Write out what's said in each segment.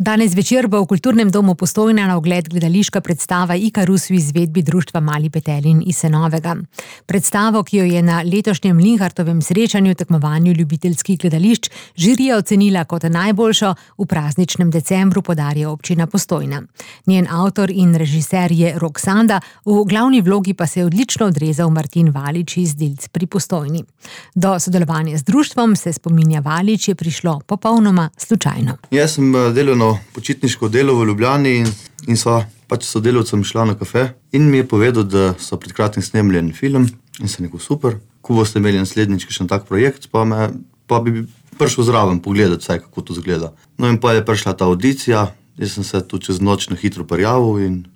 Danes večer bo v Kulturnem domu Postojna na ogled gledališka predstava Ikarus v izvedbi društva Mali Petelin iz Senovega. Predstavo, ki jo je na letošnjem Linhartovem srečanju tekmovanju ljubiteljskih gledališč žirija ocenila kot najboljšo, v prazničnem decembru podarja občina Postojna. Njen avtor in režiser je Rok Sanda, v glavni vlogi pa se je odlično odrezal Martin Valič iz Dilc pri Postojni. Do sodelovanja z društvom, se spominja Valič, je prišlo popolnoma slučajno. Jaz sem delal na počitniško delo v Ljubljani in sva sodelavcem šla na kafe in mi je povedal, da so pred kratkim snemali en film in sem rekel, super, ko boste imeli naslednjič še tak projekt, pa bi prišel zraven pogledati vsaj, kako to izgleda. No in pa je prišla ta audicija, jaz sem se tu čez noč na hitro prijavil in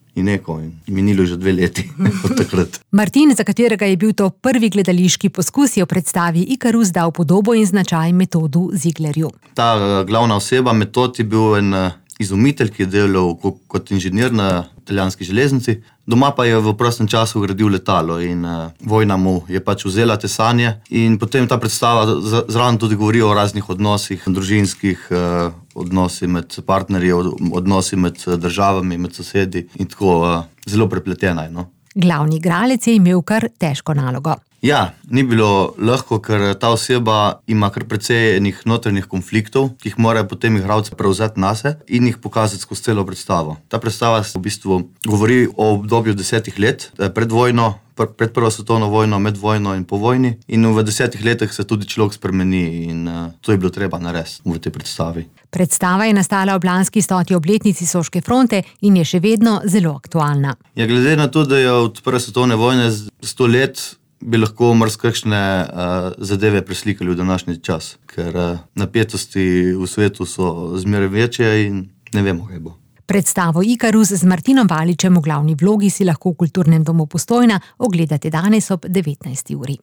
minilo že 2 leti od takrat. Martin, za katerega je bil to prvi gledališki poskus, je v predstavi Ikarus dal podobo in značaj Metodu Zieglerju. Ta glavna oseba, Metod, je bil en izumitelj, ki je delal kot inženir na italijanski železnici. Doma pa je v prostem času gradil letalo in vojna mu je vzela te sanje. In potem ta predstava zraven tudi govori o raznih odnosih, družinskih odnosi med partnerji, odnosi med državami, med sosedi in tako zelo prepletena je, no. Glavni igralec je imel kar težko nalogo. Ja, ni bilo lahko, ker ta oseba ima kar precej enih notranjih konfliktov, ki jih morajo potem igralci prevzeti nase in jih pokazati skozi celo predstavo. Ta predstava v bistvu govori o obdobju 10 let, pred vojno, pred prvo svetovno vojno, med vojno in po vojni. In v 10 letih se tudi človek spremeni in to je bilo treba narediti v tej predstavi. Predstava je nastala ob lanski 100. obletnici Soške fronte in je še vedno zelo aktualna. Ja, glede na to, da je od prve svetovne vojne 100 let, bi lahko marsikakšne zadeve preslikali v današnji čas, ker napetosti v svetu so zmeraj večje in ne vemo, kaj bo. Predstavo Ikarus z Martinom Valičem v glavni vlogi si lahko v Kulturnem domu Postojna ogledate danes ob 19. uri.